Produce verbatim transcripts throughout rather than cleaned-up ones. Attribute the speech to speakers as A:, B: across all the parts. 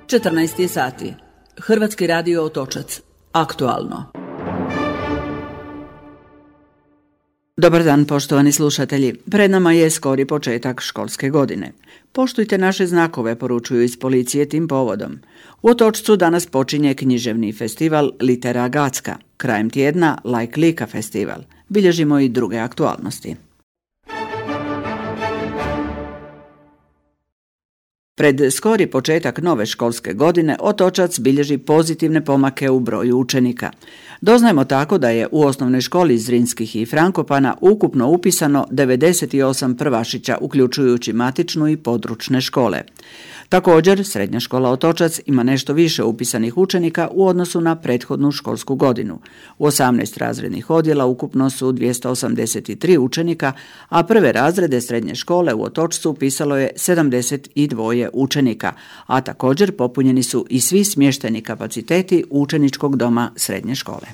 A: četrnaest je sati. Hrvatski radio Otočac. Aktualno. Dobar dan, poštovani slušatelji. Pred nama je skori početak školske godine. Poštujte naše znakove, poručuju iz policije tim povodom. U Otočcu danas počinje književni festival Litera Gacka. Krajem tjedna Like Lika festival. Bilježimo i druge aktualnosti. Pred skori početak nove školske godine Otočac bilježi pozitivne pomake u broju učenika. Doznajemo tako da je u osnovnoj školi Zrinskih i Frankopana ukupno upisano devedeset osam prvašića, uključujući matičnu i područne škole. Također, srednja škola Otočac ima nešto više upisanih učenika u odnosu na prethodnu školsku godinu. U osamnaest razrednih odjela ukupno su dvjesto osamdeset tri učenika, a prve razrede srednje škole u Otočcu upisalo je sedamdeset dva učenika, a također popunjeni su i svi smještajni kapaciteti učeničkog doma srednje škole.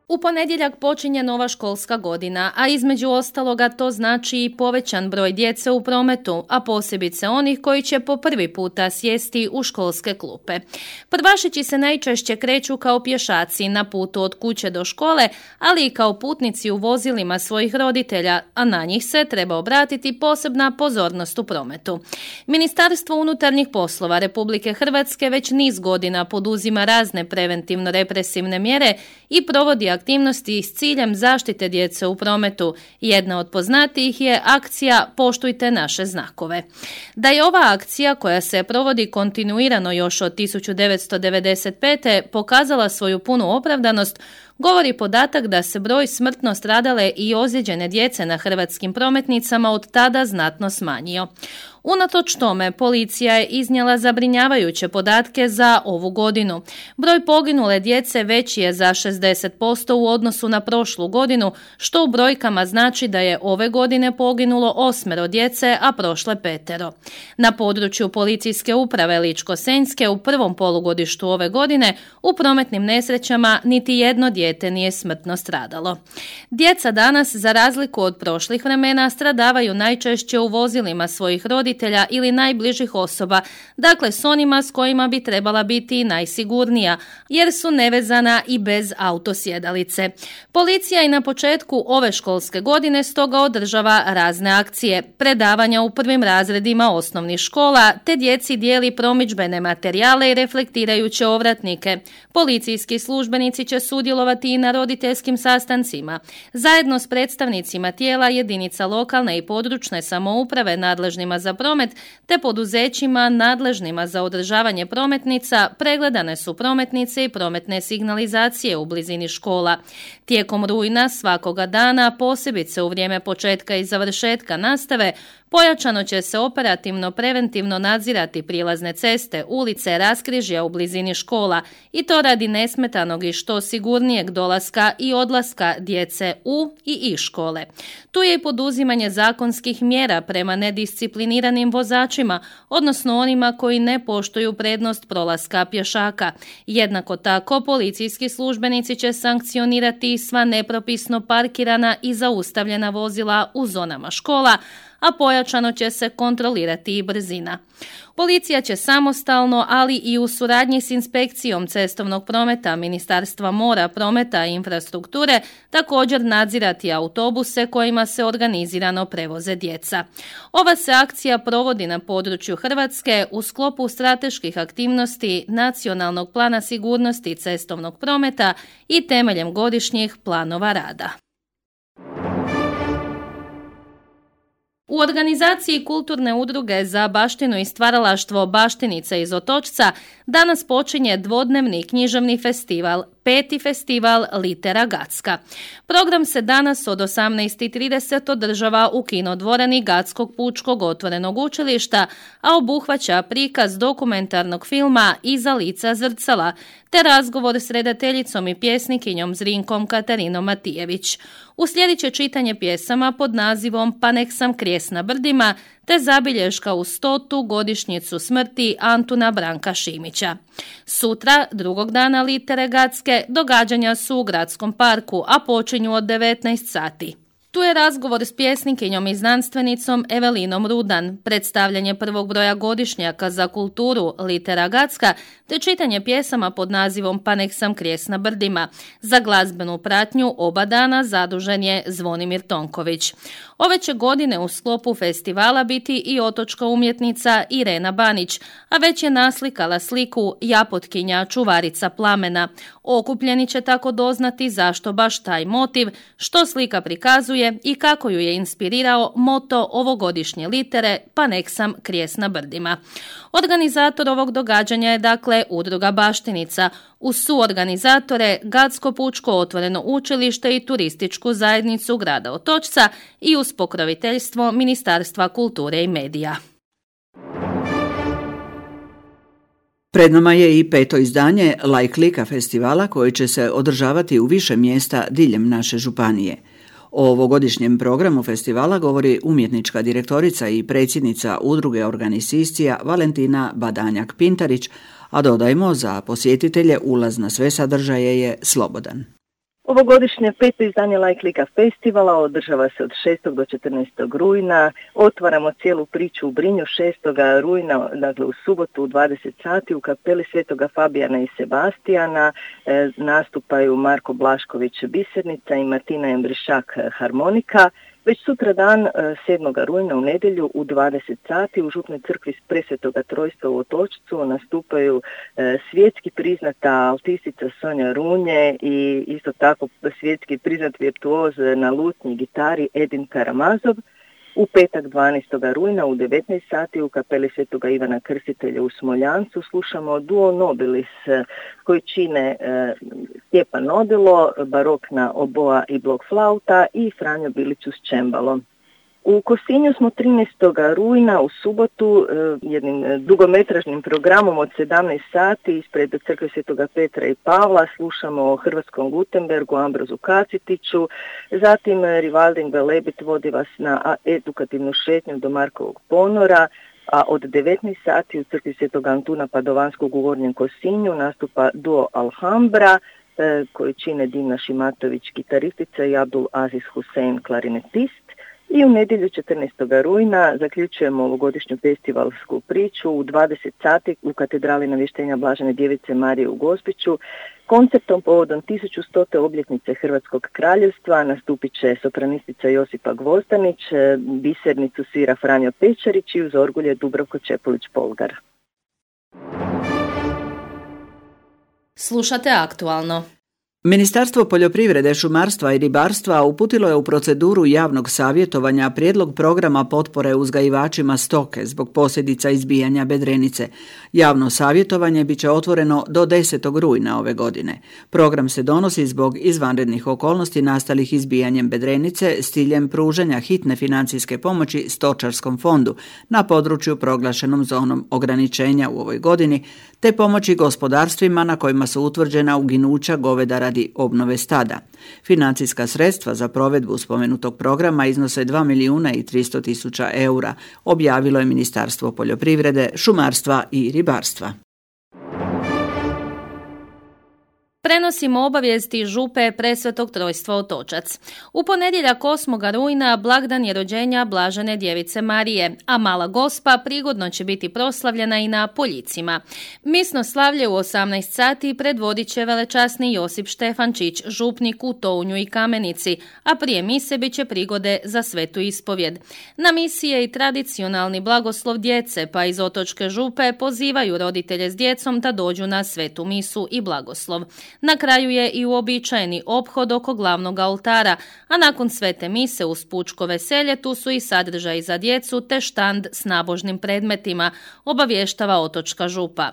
B: U ponedjeljak počinje nova školska godina, a između ostaloga to znači i povećan broj djece u prometu, a posebice onih koji će po prvi puta sjesti u školske klupe. Prvašići se najčešće kreću kao pješaci na putu od kuće do škole, ali i kao putnici u vozilima svojih roditelja, a na njih se treba obratiti posebna pozornost u prometu. Ministarstvo unutarnjih poslova Republike Hrvatske već niz godina poduzima razne preventivno-represivne mjere i provodi aktivnosti s ciljem zaštite djece u prometu. Jedna od poznatijih je akcija Poštujte naše znakove. Da je ova akcija, koja se provodi kontinuirano još od tisuću devetsto devedeset pete pokazala svoju punu opravdanost, govori podatak da se broj smrtno stradale i ozlijeđene djece na hrvatskim prometnicama od tada znatno smanjio. Unatoč tome, policija je iznijela zabrinjavajuće podatke za ovu godinu. Broj poginule djece veći je za šezdeset posto u odnosu na prošlu godinu, što u brojkama znači da je ove godine poginulo osmero djece, a prošle petero. Na području policijske uprave Ličko-senjske u prvom polugodištu ove godine u prometnim nesrećama niti jedno dijete nije smrtno stradalo. Djeca danas, za razliku od prošlih vremena, stradavaju najčešće u vozilima svojih roditelja ili najbližih osoba, dakle s onima s kojima bi trebala biti najsigurnija, jer su nevezana i bez autosjedalice. Policija i na početku ove školske godine stoga održava razne akcije, predavanja u prvim razredima osnovnih škola, te djeci dijeli promidžbene materijale i reflektirajuće ovratnike. Policijski službenici će sudjelovati i na roditeljskim sastancima. Zajedno s predstavnicima tijela jedinica lokalne i područne samouprave nadležnima za promet, te poduzećima nadležnima za održavanje prometnica, pregledane su prometnice i prometne signalizacije u blizini škola. Tijekom rujna svakoga dana, posebice u vrijeme početka i završetka nastave, pojačano će se operativno preventivno nadzirati prilazne ceste, ulice, raskrižja u blizini škola, i to radi nesmetanog i što sigurnijeg dolaska i odlaska djece u i iz škole. Tu je i poduzimanje zakonskih mjera prema nediscipliniranim vozačima, odnosno onima koji ne poštuju prednost prolaska pješaka. Jednako tako, policijski službenici će sankcionirati sva nepropisno parkirana i zaustavljena vozila u zonama škola, a pojačano će se kontrolirati i brzina. Policija će samostalno, ali i u suradnji s inspekcijom cestovnog prometa Ministarstva mora, prometa i infrastrukture također nadzirati autobuse kojima se organizirano prevoze djeca. Ova se akcija provodi na području Hrvatske u sklopu strateških aktivnosti Nacionalnog plana sigurnosti cestovnog prometa i temeljem godišnjih planova rada. U organizaciji kulturne udruge za baštinu i stvaralaštvo Baštenica iz Otočca danas počinje dvodnevni književni festival, peti festival Litera Gacka. Program se danas od osamnaest i trideset održava u kinodvorani Gackog pučkog otvorenog učilišta, a obuhvaća prikaz dokumentarnog filma Iza lica zrcala, te razgovor s redateljicom i pjesnikinjom Zrinkom Katarinom Matijević. Uslijedit će čitanje pjesama pod nazivom Pa nek sam krijest na brdima, te zabilješka u stotu godišnjicu smrti Antuna Branka Šimića. Sutra, drugog dana Litere Gacke, događanja su u gradskom parku, a počinju od devetnaest sati. Tu je razgovor s pjesnikinjom i znanstvenicom Evelinom Rudan, predstavljanje prvog broja godišnjaka za kulturu Litera Gacka, te čitanje pjesama pod nazivom Pa nek sam krijes na brdima. Za glazbenu pratnju oba dana zadužen je Zvonimir Tonković. Ove će godine u sklopu festivala biti i otočka umjetnica Irena Banić, a već je naslikala sliku Japotkinja čuvarica plamena. Okupljeni će tako doznati zašto baš taj motiv, što slika prikazuje i kako ju je inspirirao moto ovogodišnje litere Pa nek sam krijes na brdima. Organizator ovog događanja je dakle Udruga Baštenica, uz suorganizatore Gacko Pučko otvoreno učilište i turističku zajednicu grada Otočca i uz pokroviteljstvo Ministarstva kulture i medija.
A: Pred nama je i peto izdanje Like Lika festivala koji će se održavati u više mjesta diljem naše županije. O ovogodišnjem programu festivala govori umjetnička direktorica i predsjednica Udruge Organiciscija Valentina Badanjak-Pintarić, a dodajmo za posjetitelje ulaz na sve sadržaje je slobodan.
C: Ovogodišnje peto izdanje Like Lika festivala održava se od šestog do četrnaestog rujna. Otvaramo cijelu priču u Brinju šestog rujna, dakle u subotu u dvadeset sati u kapeli Svetoga Fabijana i Sebastijana. E, nastupaju Marko Blašković bisernica i Martina Embrišak harmonika. Već sutra dan, sedmog rujna u nedjelju u dvadeset sati u Župnoj crkvi Presvetoga Trojstva u Otočcu nastupaju svjetski priznata altistica Sonja Runje i isto tako svjetski priznat virtuoz na lutnji i gitari Edin Karamazov. U petak dvanaestog rujna u devetnaest sati u kapeli Svetoga Ivana Krstitelja u Smoljancu slušamo Duo Nobilis koji čine e, Stjepan Nodilo, barokna oboa i blok flauta i Franjo Bilić uz čembalo. U Kosinju smo trinaestog rujna u subotu e, jednim dugometražnim programom od sedamnaest sati ispred crkve Svetoga Petra i Pavla slušamo o hrvatskom Gutenbergu, Ambrozu Kacitiću, zatim Rivaldin Velebit vodi vas na edukativnu šetnju do Markovog ponora, a od devetnaest sati u crkvi Svetog Antuna Padovanskog u Gornjem Kosinju nastupa duo Alhambra e, koji čine Dimna Šimatović gitaristica i Abdul Aziz Husein klarinetist. I u nedjelju četrnaestog rujna zaključujemo ovogodišnju festivalsku priču u dvadeset sati u katedrali Navještenja Blažene Djevice Marije u Gospiću. Koncertom povodom tisuću stote obljetnice Hrvatskog kraljevstva nastupit će sopranistica Josipa Gvozdanić, bisernicu svira Franjo Pečarić i uz orgulje Dubravko Čepulić-Polgar.
B: Slušate Aktualno.
A: Ministarstvo poljoprivrede, šumarstva i ribarstva uputilo je u proceduru javnog savjetovanja prijedlog programa potpore uzgajivačima stoke zbog posljedica izbijanja bedrenice. Javno savjetovanje bit će otvoreno do desetog rujna ove godine. Program se donosi zbog izvanrednih okolnosti nastalih izbijanjem bedrenice s ciljem pružanja hitne financijske pomoći stočarskom fondu na području proglašenom zonom ograničenja u ovoj godini, te pomoći gospodarstvima na kojima su utvrđena uginuća goveda radi obnove stada. Financijska sredstva za provedbu spomenutog programa iznose dva milijuna i tristo tisuća eura, objavilo je Ministarstvo poljoprivrede, šumarstva i ribarstva.
B: Prenosimo obavijesti župe Presvetog Trojstva Otočac. U ponedjeljak osmog rujna blagdan je rođenja Blažene Djevice Marije, a Mala Gospa prigodno će biti proslavljena i na Poljicima. Misno slavlje u osamnaest sati predvodit će velečasni Josip Štefančić, župnik u Tounju i Kamenici, a prije mise bit će prigode za svetu ispovjed. Na misi je i tradicionalni blagoslov djece, pa iz Otočke župe pozivaju roditelje s djecom da dođu na svetu misu i blagoslov. Na kraju je i uobičajeni ophod oko glavnog oltara, a nakon svete mise uz pučko veselje tu su i sadržaji za djecu te štand s nabožnim predmetima, obavještava Otočka župa.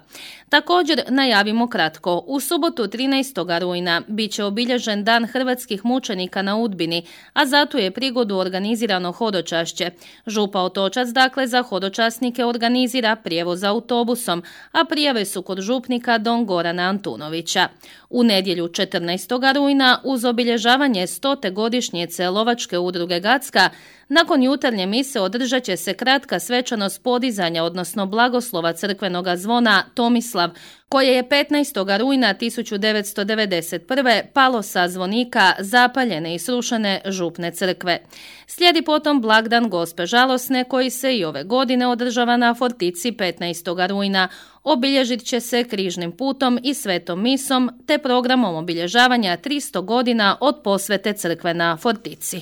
B: Također najavimo kratko, u subotu trinaestog rujna bit će obilježen Dan hrvatskih mučenika na Udbini, a zato je prigodu organizirano hodočašće. Župa Otočac dakle za hodočasnike organizira prijevoz autobusom, a prijave su kod župnika Don Gorana Antunovića. U nedjelju četrnaestog rujna uz obilježavanje stote godišnjice Lovačke udruge Gacka, nakon jutarnje mise održat će se kratka svečanost podizanja, odnosno blagoslova crkvenoga zvona Tomislav, koje je petnaestog rujna tisuću devetsto devedeset prve palo sa zvonika zapaljene i srušene župne crkve. Slijedi potom blagdan Gospe Žalosne koji se i ove godine održava na Fortici petnaestog rujna. Obilježit će se križnim putom i svetom misom te programom obilježavanja tristo godina od posvete crkve na Fortici.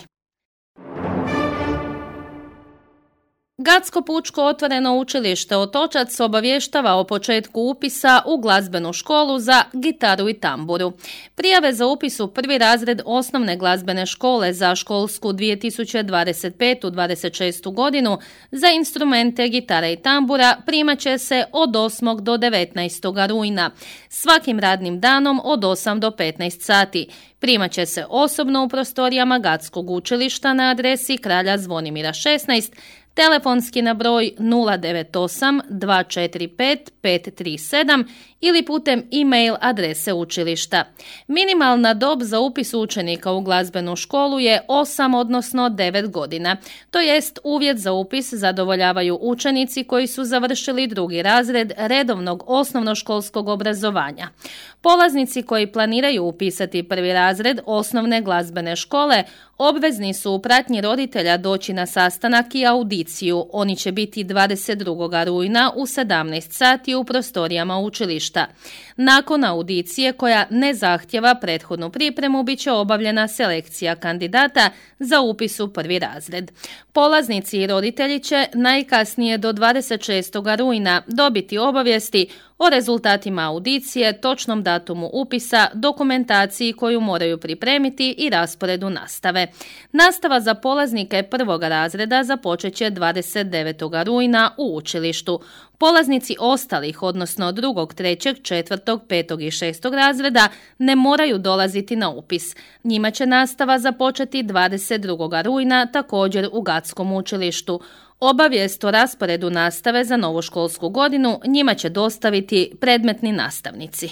B: Gatsko pučko otvoreno učilište Otočac obavještava o početku upisa u glazbenu školu za gitaru i tamburu. Prijave za upis u prvi razred osnovne glazbene škole za školsku dvije tisuće dvadeset pete dvadeset šeste godinu za instrumente gitara i tambura primat će se od osmog do devetnaestog rujna, svakim radnim danom od osam do petnaest sati. Primat će se osobno u prostorijama Gatskog učilišta na adresi Kralja Zvonimira šesnaest, telefonski na broj nula devet osam dva četiri pet pet tri sedam ili putem e-mail adrese učilišta. Minimalna dob za upis učenika u glazbenu školu je osam odnosno devet godina. To jest uvjet za upis zadovoljavaju učenici koji su završili drugi razred redovnog osnovnoškolskog obrazovanja. Polaznici koji planiraju upisati prvi razred osnovne glazbene škole obvezni su u pratnji roditelja doći na sastanak i audiciju. Oni će biti dvadeset drugog rujna u sedamnaest sati u prostorijama učilišta. Nakon audicije koja ne zahtjeva prethodnu pripremu bit će obavljena selekcija kandidata za upis u prvi razred. Polaznici i roditelji će najkasnije do dvadeset šestog rujna dobiti obavijesti o rezultatima audicije, točnom datumu upisa, dokumentaciji koju moraju pripremiti i rasporedu nastave. Nastava za polaznike prvog razreda započet će dvadeset devetog rujna u učilištu. Polaznici ostalih, odnosno drugog, trećeg, četvrtog, petog i šestog razreda ne moraju dolaziti na upis. Njima će nastava započeti dvadeset drugog rujna također u Gatskom učilištu. Obavijest o rasporedu nastave za novu školsku godinu njima će dostaviti predmetni nastavnici.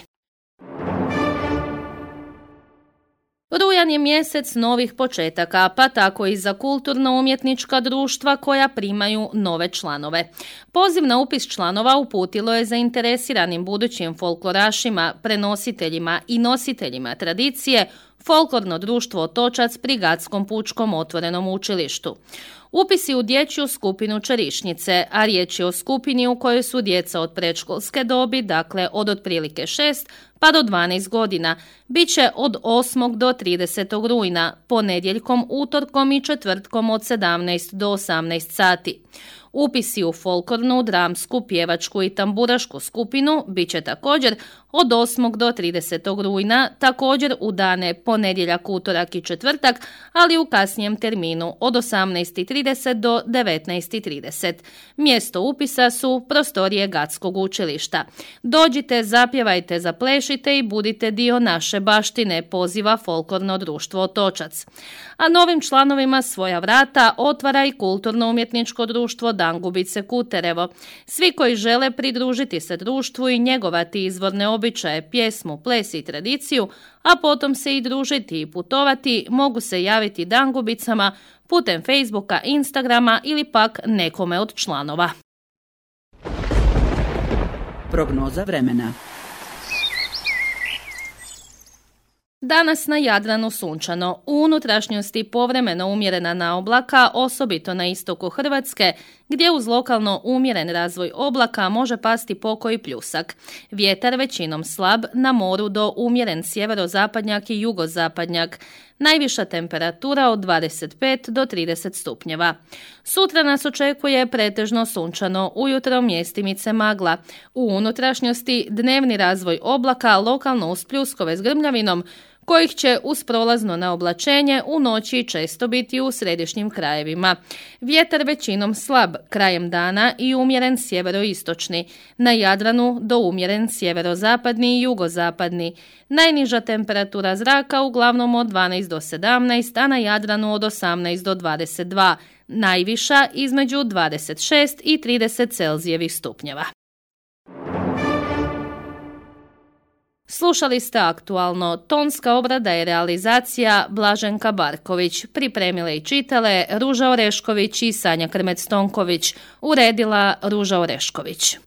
B: Rujan je mjesec novih početaka, pa tako i za kulturno-umjetnička društva koja primaju nove članove. Poziv na upis članova uputilo je zainteresiranim budućim folklorašima, prenositeljima i nositeljima tradicije Folklorno društvo Otočac pri Gatskom pučkom otvorenom učilištu. Upisi u dječju skupinu Čerišnice, a riječ je o skupini u kojoj su djeca od predškolske dobi, dakle od otprilike šest pa do dvanaest godina, bit će od osmog do tridesetog rujna, ponedjeljkom, utorkom i četvrtkom od sedamnaest do osamnaest sati. Upisi u folklornu, dramsku, pjevačku i tamburašku skupinu bit će također od osmog do tridesetog rujna, također u dane ponedjeljak, utorak i četvrtak, ali u kasnijem terminu od osamnaest i trideset do devetnaest i trideset. Mjesto upisa su prostorije Gatskog učilišta. Dođite, zapjevajte, zaplešite i budite dio naše baštine, poziva Folklorno društvo Otočac. A novim članovima svoja vrata otvara i kulturno-umjetničko društvo Dangubice Kuterevo. Svi koji žele pridružiti se društvu i njegovati izvorne običaje, pjesmu, ples i tradiciju, a potom se i družiti i putovati, mogu se javiti Dangubicama putem Facebooka, Instagrama ili pak nekome od članova.
A: Prognoza vremena.
B: Danas na Jadranu sunčano, u unutrašnjosti povremeno umjerena naoblaka, osobito na istoku Hrvatske, gdje uz lokalno umjeren razvoj oblaka može pasti pokoji pljusak. Vjetar većinom slab, na moru do umjeren sjeverozapadnjak i jugozapadnjak. Najviša temperatura od dvadeset pet do trideset stupnjeva. Sutra nas očekuje pretežno sunčano, ujutro mjestimice magla. U unutrašnjosti dnevni razvoj oblaka, lokalno uz pljuskove s grmljavinom, kojih će uz prolazno naoblačenje u noći često biti u središnjim krajevima. Vjetar većinom slab, krajem dana i umjeren sjeveroistočni. Na Jadranu do umjeren sjeverozapadni i jugozapadni. Najniža temperatura zraka uglavnom od dvanaest do sedamnaest, a na Jadranu od osamnaest do dvadeset dva. Najviša između dvadeset šest i trideset Celzijevih stupnjeva. Slušali ste aktualno, tonska obrada i realizacija Blaženka Barković, pripremile i čitale Ruža Orešković i Sanja Krmec-Tonković, uredila Ruža Orešković.